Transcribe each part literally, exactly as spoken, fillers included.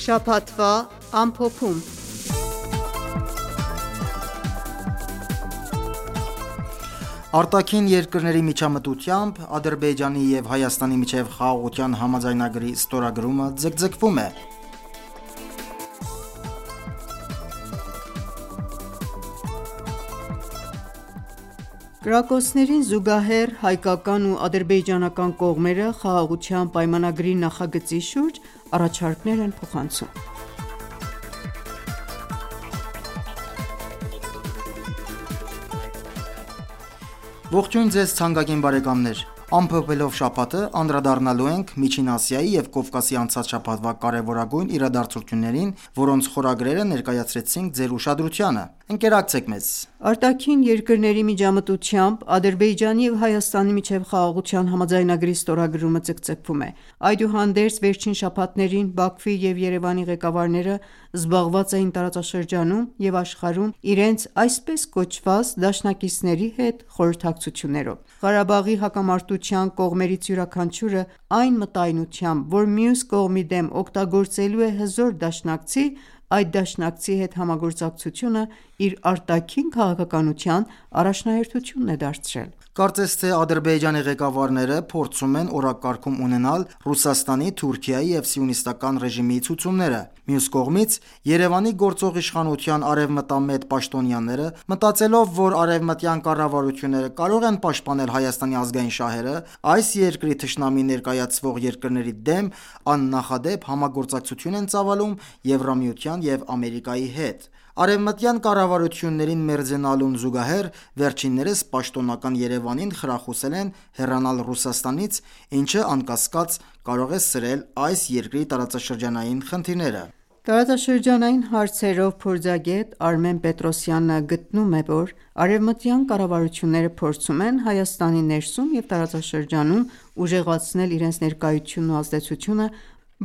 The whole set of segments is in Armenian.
Շաբաթվա ամփոփում։ Արտաքին երկրների միջամտությամբ Ադրբեջանի և Հայաստանի միջև խաղաղության համաձայնագրի ստորագրումը ձգձգվում է։ Կրակոցներին զուգահեռ հայկական ու ադրբեջանական կողմերը խաղաղության պայմանագրի նախագծի շուրջ առաջարկներ են փոխանցում։ Ողջույն ձեզ թանկագին բարեկամներ: Ամփոփելով շաբաթը անդրադառնալու ենք Միջին Ասիայի և Կովկասի անցած շաբաթվա կարևորագույն իրադարձություններին, որոնց խորագրերը ներկայացրեցինք ձեր ուշադրությանը: Ընկերակցեք մեզ: Արտաքին երկրների միջամտությամբ Ադրբեջանի և Հայաստանի միջև խաղաղության համաձայնագրի ստորագրումը ձգձգվում է: Այդուհանդերձ, վերջին շաբաթներին Բաքվի և Երևանի ղեկավարները զբաղված էին տարածաշրջանում և աշխարհում իրենց այսպես կոչված դաշնակիցների հետ խորհրդակցություններով: Ղարաբաղի հակամարտության կողմերից յուրաքանչյուրը այն մտայնությամբ, որ մյուս կողմի դեմ օգտագործելու է հզոր դաշնակցի, այդ դաշնակցի հետ համագործակցությունը իր արտաքին քաղաքականության առաջնահերթությունն է դարձրել: Կարծես թե Ադրբեջանի ղեկավարները փորձում են օրակարգում ունենալ Ռուսաստանի, Թուրքիայի և Սիոնիստական ռեժիմի ցուցումները: Մյուս կողմից, Երևանի գործող իշխանության արևմտամետ պաշտոնյաները, մտածելով, որ արևմտյան կառավարությունները կարող են պաշտպանել Հայաստանի ազգային շահերը, այս երկրի թշնամի ներկայացվող երկրների դեմ աննախադեպ համագործակցություն են ծավալում Եվրամիության և Ամերիկայի հետ: Արևմտյան կառավարություններին մերձենալուն զուգահեռ, վերջիններս պաշտոնական Երևանին խրախուսել են հեռանալ Ռուսաստանից, ինչը անկասկած կարող է սրել այս երկրի տարածաշրջանային խնդիրները: Տարածաշրջանային հարցերով փորձագետ Արմեն Պետրոսյանը գտնում է, որ արևմտյան կառավարությունները փորձում են Հայաստանի ներսում և տարածաշրջանում ուժեղացնել իրենց ներկայությունն ու ազդեցությունը,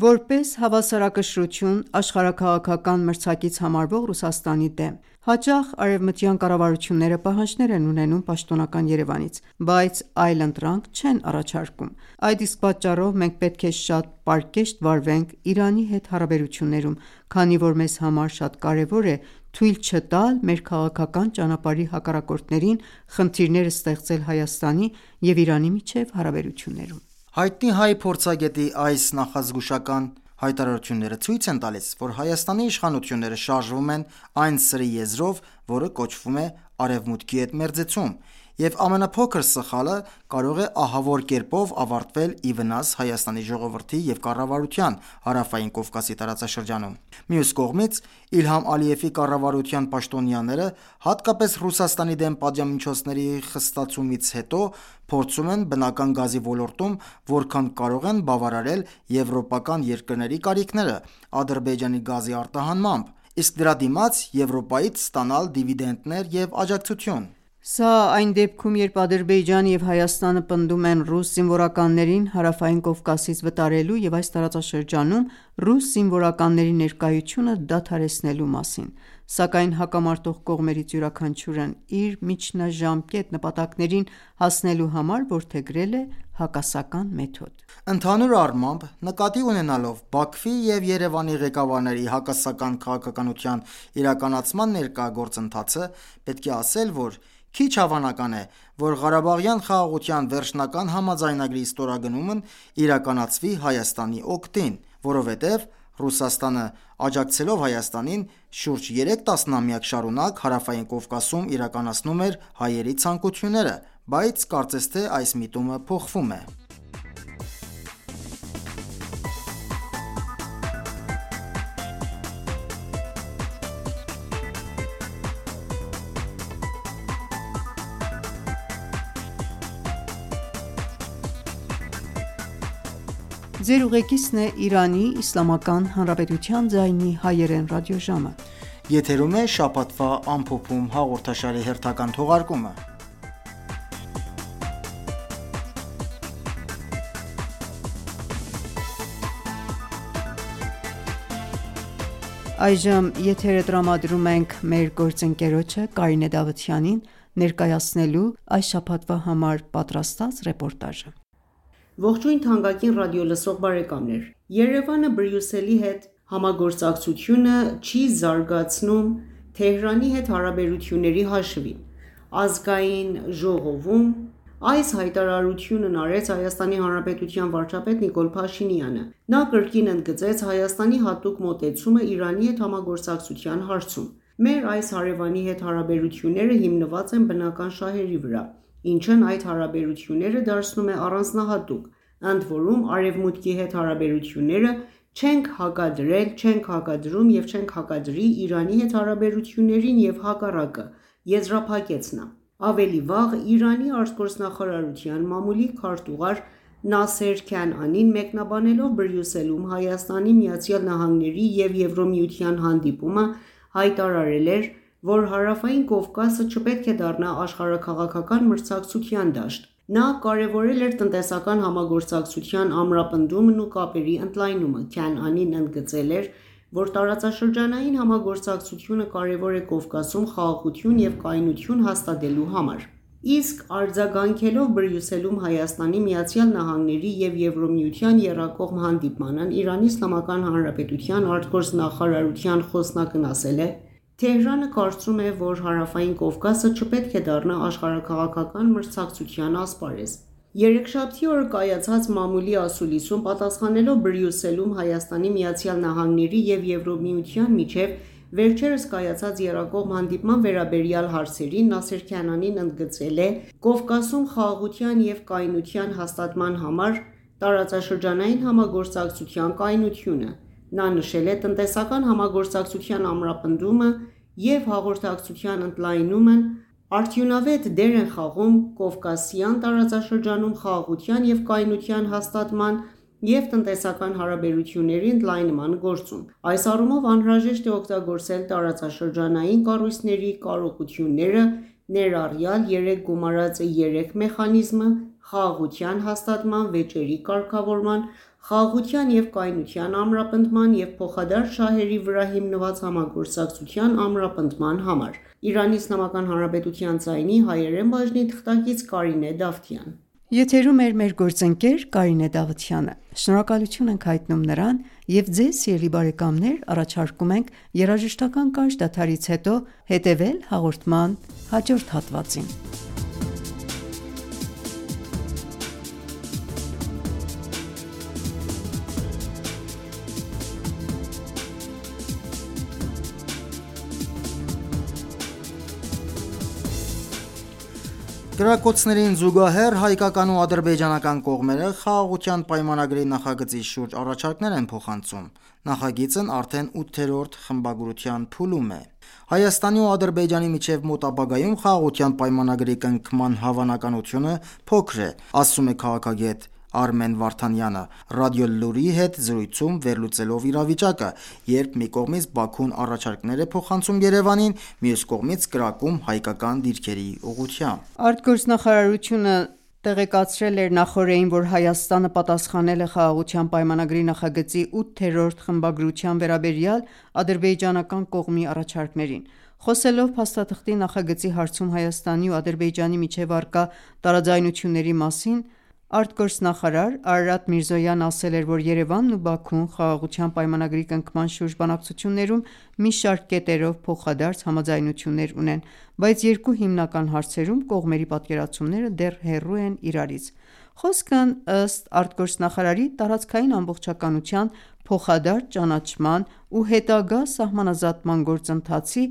որպես հավասարակշռություն աշխարհաքաղաքական մրցակից համարվող Ռուսաստանի դեմ: Հաճախ արևմտյան կառավարությունները պահանջներ են ունենում պաշտոնական Երևանից, բայց այլընտրանք չեն առաջարկում: Այդ իսկ պատճառով մենք պետք է շատ պարկեշտ վարվենք Իրանի հետ հարաբերություններում, քանի որ մեզ համար շատ կարևոր է թույլ չտալ մեր քաղաքական ճանապարհի հակառակորդներին խնդիրներ ստեղծել Հայաստանի և Իրանի միջև հարաբերություններում: Հայտնի հայ փորձագետի այս նախազգուշական հայտարարությունները ցույց են տալիս, որ Հայաստանի իշխանությունները շարժվում են այն սրի եզրով, որը կոչվում է Արևմուտքի հետ մերձեցում, և ամենափոքր սխալը կարող է ահավոր կերպով ավարտվել ի վնաս Հայաստանի ժողովրդի և կառավարության Հարավային Կովկասի տարածաշրջանում: Մյուս կողմից, Իլհամ Ալիևի կառավարության պաշտոնյաները, հատկապես Ռուսաստանի դեմ պատժամիջոցների խստացումից հետո, փորձում են բնական գազի ոլորտում որքան կարող են բավարարել եվրոպական երկրների կարիքները Ադրբեջանի գազի արտահանմամբ, իսկ դրա դիմաց Եվրոպայից ստանալ դիվիդենդներ և աջակցություն: Սա այն դեպքում, երբ Ադրբեջանը և Հայաստանը պնդում են ռուս զինվորականներին Հարավային Կովկասից վտարելու և այս տարածաշրջանում ռուս զինվորականների ներկայությունը դադարեցնելու մասին: Սակայն հակամարտող կողմերից յուրաքանչյուրն իր միջնաժամկետ նպատակներին հասնելու համար որդեգրել է հակասական մեթոդ: Ընդհանուր առմամբ, նկատի ունենալով Բաքվի և Երևանի ղեկավարների հակասական քաղաքականության իրականացման ներկա գործընթացը, պետք է ասել, որ քիչ հավանական է, որ Ղարաբաղյան խաղաղության վերջնական համաձայնագրի ստորագրումն իրականացվի Հայաստանի օգտին, որովհետև Ռուսաստանը աջակցելով Հայաստանին, շուրջ երեք տասնամյակ շարունակ Հարավային Կովկասում իրականացնում էր հայերի ցանկությունները, բայց կարծես թե այս միտումը փոխվում է: Այժմ եթերը տրամադրում ենք մեր գործընկերոջը Կարինե Դավթյանին ներկայացնելու այս շաբաթվա համար պատրաստած ռեպորտաժը: Ողջույն թանկագին ռադիոլսող բարեկամներ: Երևանը Բրյուսելի հետ Համագործակցությունը չի զարգացնում Թեհրանի հետ հարաբերությունների հաշվին։ Ազգային ժողովում այս հայտարարությունն արեց Հայաստանի Հանրապետության վարչապետ Նիկոլ Փաշինյանը։ Նա կրկին ընդգծեց Հայաստանի հատուկ մոտեցումը Իրանի հետ համագործակցության հարցում։ Մեր այս հարևանի հետ հարաբերությունները հիմնված են բնական շահերի վրա, ինչն այդ հարաբերությունները դարձնում է առանձնահատուկ, ընդ որում Արևմուտքի հետ հարաբերությունները չենք հակադրել, չենք հակադրում և չենք հակադրի Իրանի հետ հարաբերություններին և հակառակը, եզրափակեց նա։ Ավելի վաղ Իրանի արտգործնախարարության մամուլի քարտուղար Նասեր Քանանին մեկնաբանելով Բրյուսելում Հայաստանի, Միացյալ Նահանգների և Եվրամիության հանդիպումը հայտարարել էր, որ Հարավային Կովկասը չպետք է դառնա աշխարհաքաղաքական մրցակցության դաշտ։ Նա կարևորել էր տնտեսական համագործակցության ամրապնդումն ու կապերի ընդլայնումը։ Քանանին ընդգծել էր, որ տարածաշրջանային համագործակցությունը կարևոր է Կովկասում խաղաղություն և կայունություն հաստատելու համար։ Իսկ արձագանքելով Բրյուսելում Հայաստանի, Միացյալ Նահանգների և Եվրամիության եռակողմ հանդիպմանն Իրանի Իսլամական Հանրապետության արտգործնախարարության խոսնակն ասել է. «Թեհրանը կարծում է, որ Հարավային Կովկասը չպետք է դառնա աշխարհաքաղաքական մրցակցության ասպարեզ»։ Երեքշաբթի օրը կայացած մամուլի ասուլիսում պատասխանելով Բրյուսելում Հայաստանի, Միացյալ Նահանգների և Եվրամիության միջև վերջերս կայացած եռակողմ հանդիպման վերաբերյալ հարցերին Նասեր Քանանին ընդգծել է Կովկասում խաղաղության և կայունության հաստատման համար տարածաշրջանային համագործակցության կայունությունը։ Նա նշել է տնտեսական համագործակցության ամրապնդումը և հաղորդակցության ընդլայնումն արդյունավետ դեր են խաղում Կովկասյան տարածաշրջանում խաղաղության և կայունության հաստատման և տնտեսական հարաբերությունների ընդլայնման գործում։ Այս առումով անհրաժեշտ է օգտագործել տարածաշրջանային կառույցների կարողությունները, ներառյալ երեք գումարած երեք մեխանիզմը՝ խաղաղության հաստատման, վեճերի կարգավորման, խաղաղության և կայունության ամրապնդման և փոխադարձ շահերի վրա հիմնված համագործակցության ամրապնդման համար։ Իրանի Իսլամական Հանրապետության ձայնի հայերեն բաժնի թղթակից Կարինե Դավթյան։ Եթերում է մեր գործընկեր Կարինե Դավթյանը։ Շնորհակալություն ենք հայտնում նրան և ձեզ սիրելի բարեկամներ առաջարկում ենք երաժշտական կարճ դադարից հետո հետևել հաղորդման հաջորդ հատվածին։ Կրակոցներին զուգահեռ հայկական ու ադրբեջանական կողմերը խաղաղության պայմանագրի նախագծի շուրջ առաջարկներ են փոխանցում։ Նախագիծն արդեն ութերորդ խմբագրության փուլում է։ Հայաստանի ու Ադրբեջանի միջև մոտ ապագայում խաղաղության պայմանագրի կնքման հավանականությունը փոքր է, ասում է քաղաքագետ Արմեն Վարդանյանը «Ռադիոլուր»-ի հետ զրույցում վերլուծելով իրավիճակը, երբ մի կողմից Բաքուն առաջարկներ է փոխանցում Երևանին, մյուս կողմից կրակում հայկական դիրքերի ուղղությամբ։ Արտգործնախարարությունը տեղեկացրել էր նախօրեին, որ Հայաստանը պատասխանել է Խաղաղության պայմանագրի նախագծի ութերորդ խմբագրության վերաբերյալ ադրբեջանական կողմի առաջարկներին։ Խոսելով փաստաթղթի նախագծի հարցում Հայաստանի ու Ադրբեջանի միջև առկա տարաձայնությունների մասին, արտգործնախարար Արարատ Միրզոյանն ասել էր, որ Երևանն ու Բաքուն Խաղաղության պայմանագրի կնքման շուրջ բանակցություններում մի շարք կետերով փոխադարձ համաձայնություններ ունեն, բայց երկու հիմնական հարցերում կողմերի պատկերացումները դեռ հեռու են իրարից։ Խոսքն, ըստ արտգործնախարարի, տարածքային ամբողջականության, փոխադարձ ճանաչման ու հետագա սահմանազատման գործընթացի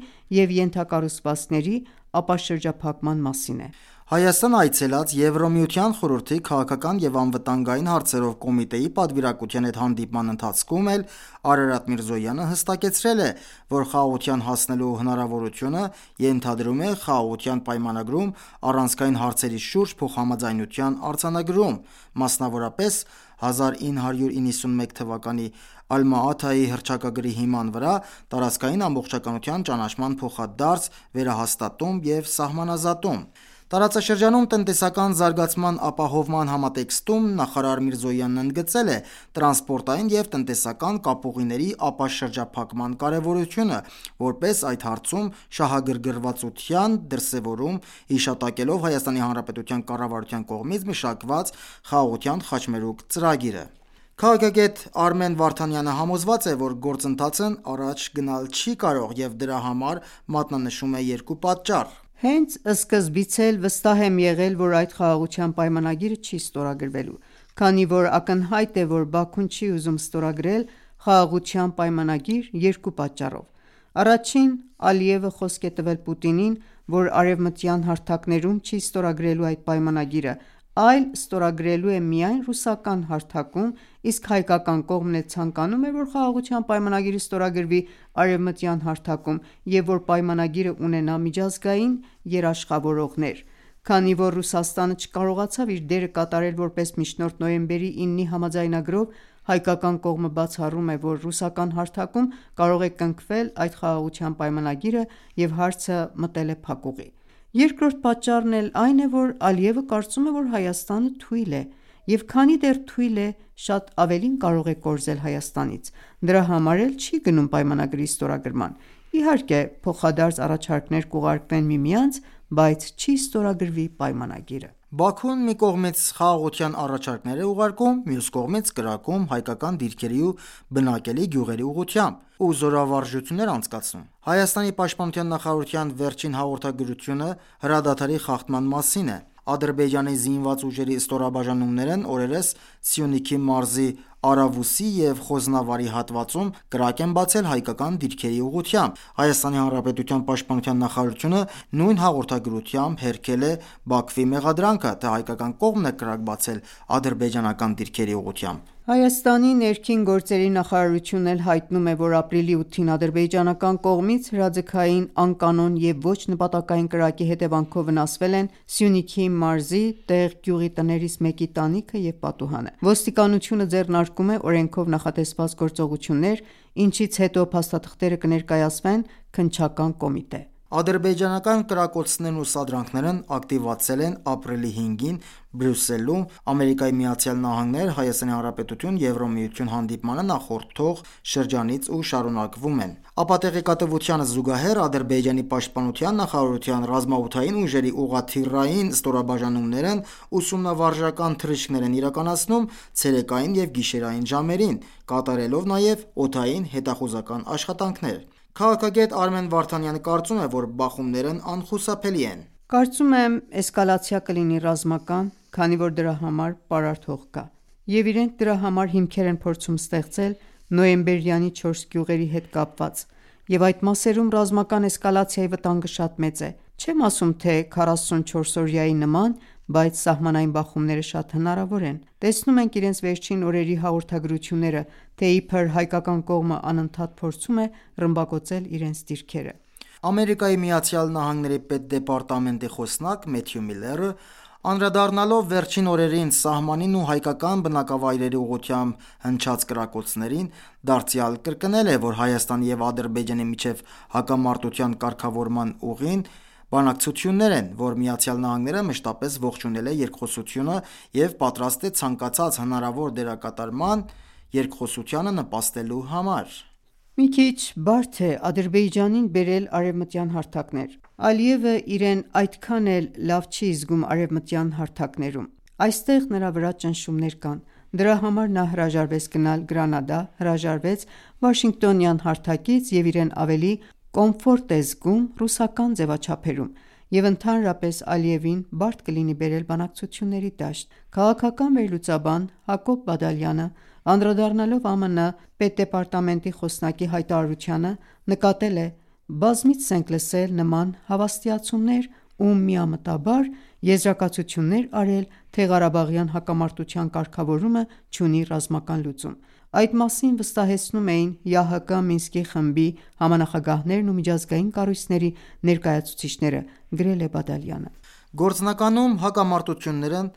և ենթակառուցվածքների ապաշրջափակման մասին է։ Հայաստան այցելած Եվրամիության խորհրդի քաղաքական և անվտանգային հարցերով կոմիտեի պատվիրակության հետ հանդիպման ընթացքում էլ Արարատ Միրզոյանը հստակեցրել է, որ խաղաղության հասնելու հնարավորությունը ենթադրում է խաղաղության պայմանագրում առանցքային հարցերի շուրջ փոխհամաձայնության արձանագրում, մասնավորապես հազար ինը հարյուր իննսունմեկ թվականի Ալմա-Աթայի հռչակագրի հիման վրա տարածքային ամբողջականության ճանաչման փոխադարձ վերահաստատում և սահմանազատում։ Տարածաշրջանում տնտեսական զարգացման ապահովման համատեքստում նախարար Միրզոյանն ընդգծել է տրանսպորտային և տնտեսական կապուղիների ապաշրջափակման կարևորությունը, որպես այդ հարցում շահագրգռվածության դրսևորում, հիշատակելով Հայաստանի Հանրապետության կառավարության կողմից մշակված Խաղաղության խաչմերուկ ծրագիրը։ Քաղաքագետ Արմեն Վարդանյանը համոզված է, որ գործընթացն առաջ գնալ չի կարող և դրա համար մատնանշում է երկու պատճառ: Հենց սկզբից էլ վստահ եմ եղել, որ այդ խաղաղության պայմանագիրը չի ստորագրվելու, քանի որ ակնհայտ է, որ Բաքուն չի ուզում ստորագրել խաղաղության պայմանագիր երկու պատճառով: Առաջին՝ Ալիևը խոսք է տվել Պուտինին, որ արևմտյան հարթակներում չի ստորագրելու այդ պայմանագիրը, այլ ստորագրելու է միայն ռուսական հարթակում, իսկ հայկական կողմն էլ ցանկանում է, որ խաղաղության պայմանագիրը ստորագրվի արևմտյան հարթակում և որ պայմանագիրը ունենա միջազգային երաշխավորողներ: Քանի որ Ռուսաստանը չկարողացավ իր դերը կատարել որպես միջնորդ նոյեմբերի իննի համաձայնագրով, հայկական կողմը բացառում է, որ ռուսական հարթակում կարող է կնքվել այդ խաղաղության պայմանագիրը և հարցը մտել է փակուղի: Երկրորդ պատճառն էլ այն է, որ Ալիևը կարծում է, որ Հայաստանը թույլ է և քանի դեռ թույլ է, շատ ավելին կարող է կորզել Հայաստանից: Դրա համար էլ չի գնում պայմանագրի ստորագրման: Իհարկե փոխադարձ առաջարկներ կուղարկվեն միմյանց, բայց չի ստորագրվի պայմանագիրը: Բաքուն մի կողմից խաղաղության առաջարկներ է ուղարկում, մյուս կողմից կրակում հայկական դիրքերի ու բնակելի գյուղերի ուղղությամբ ու զորավարժություններ անցկացնում: Հայաստանի պաշտպանության նախարարության վերջին հաղորդագրությունը հրադադարի խախտման մասին է: Ադրբեջանի զինված ուժերի ստորաբաժանումներն օրերս Սյունիքի մարզի Արավուսի և Խոզնավարի հատվածում կրակ են բացել հայկական դիրքերի ուղղությամբ: ՀՀ պաշտպանության նախարարությունը նույն հաղորդագրությամբ հերքել է Բաքվի մեղադրանքը, թե հայկական կողմն է կրակ բացել ադրբեջանական դիրքերի ուղղությամբ: Հայաստանի ներքին գործերի նախարարությունն էլ հայտնում է, որ ապրիլի ութին ադրբեջանական կողմից հրաձգային անկանոն և ոչ նպատակային կրակի հետևանքով վնասվել են Սյունիքի մարզի Տեղ գյուղի տներից մեկի տանիքը և պատուհանը: Ոստիկանությունը ձեռնարկում է օրենքով նախատեսված գործողություններ, ինչից հետո փաստաթղթերը կներկայացվեն քննչական կոմիտե: Ադրբեջանական կրակոցներն ու սադրանքներն ակտիվացել են ապրիլի հինգին Բրյուսելում ԱՄՆ-ՀՀ-Եվրամիություն հանդիպմանը նախորդող շրջանից ու շարունակվում են: Ապատեղեկատվությանը զուգահեռ Ադրբեջանի պաշտպանության նախարարության ռազմաօդային ուժերի ուղղաթիռային ստորաբաժանումներն ուսումնավարժական թռիչքներ են իրականացնում ցերեկային և գիշերային ժամերին, կատարելով նաև օդային հետախուզական աշխատանքներ: Քաղաքագետ Արմեն Վարդանյանը կարծում է, որ բախումներն անխուսափելի են: Կարծում եմ էսկալացիա կլինի ռազմական, քանի որ դրա համար պարարտ հող կա: Եվ իրենք դրա համար հիմքեր են փորձում ստեղծել նոյեմբերյանի չորս գյուղերի հետ կապված և այդ մասերում ռազմական էսկալացիայի վտանգը շատ մեծ է: Չեմ ասում, թե քառասունչորսօրյայի նման, բայց սահմանային բախումները շատ հնարավոր են: Տեսնում ենք իրենց վերջին օրերի հաղորդագրությունները, թե իբր հայկական կողմը անընդհատ փորձում է ռմբակոծել իրենց դիրքերը: ԱՄՆ պետդեպարտամենտի խոսնակ Մեթյու Միլլերը, անդրադառնալով վերջին օրերին սահմանին ու հայկական բնակավայրերի ուղղությամբ հնչած կրակոցներին, դարձյալ կրկնել է, որ Հայաստանի և Ադրբեջանի միջև հակամարտության կարգավորման ուղին բանակցություններ են, որ ԱՄՆ-ն մշտապես ողջունել է երկխոսությունը և պատրաստ է ցանկացած հնարավոր դերակատարման երկխոսությանը նպաստելու համար: Մի քիչ բարդ է Ադրբեջանին բերել արևմտյան հարթակներ: Ալիևը իրեն այդքան էլ լավ չի զգում արևմտյան հարթակներում: Այստեղ նրա վրա ճնշումներ կան: Դրա համար նա հրաժարվեց գնալ Գրանադա, հրաժարվեց Վաշինգտոնյան հարթակից և իրեն ավելի կոմֆորտ է զգում ռուսական ձևաչափերում և ընդհանրապես Ալիևին բարդ կլինի բերել բանակցությունների դաշտ: Քաղաքական վերլուծաբան Հակոբ Բադալյանը, անդրադառնալով ԱՄՆ պետդեպարտամենտի խոսնակի հայտարարությանը, նկատել է. «Բազմիցս ենք լսել նման հավաստիացումներ ու միամտաբար եզրակացություններ արել, թե Ղարաբաղյան հակամարտության կարգավորումը չունի ռազմական լուծում: Այդ մասին վստահեցնում էին ԵԱՀԿ Մինսկի խմբի համանախագահներն ու միջազգային կառույցների ներկայացուցիչները», գրել է Բադալյանը: Գործնականում հակամարտություններն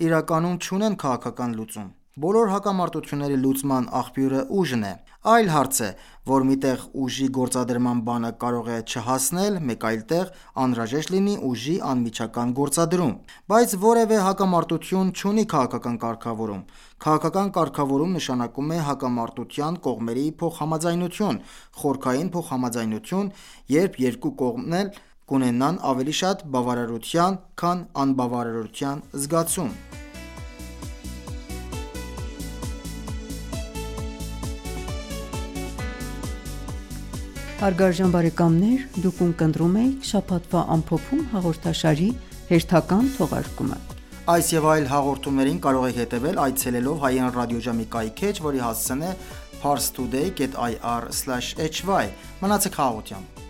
իրականում չունեն քաղաքական լուծում: Բոլոր հակամարտությունների լուծման աղբյուրը ուժն է: Այլ հարց է, որ մի տեղ ուժի գործադրման բանը կարող է չհասնել, մեկ այլ տեղ անհրաժեշտ լինի ուժի անմիջական գործադրում: Բայց որևէ հակամարտություն չունի քաղաքական կարգավորում: Քաղաքական կարգավորում նշանակում է հակամարտության կողմերի փոխհամաձայնություն, խորքային փոխհամաձայնություն, երբ երկու կողմն էլ կունենան ավելի շատ բավարարության, քան անբավարարության զգացում: Հարգարժան բարեկամներ, դուք ունկնդրում եք շաբաթվա ամփոփում հաղորդաշարի հերթական թողարկումը: Այս և այլ հաղորդումներին կարող եք հետևել այցելելով հայրեն ռադիոժամի կայքէջ, որի հասցեն է parstoday dot ir slash hy: Մնացեք խաղաղությամբ: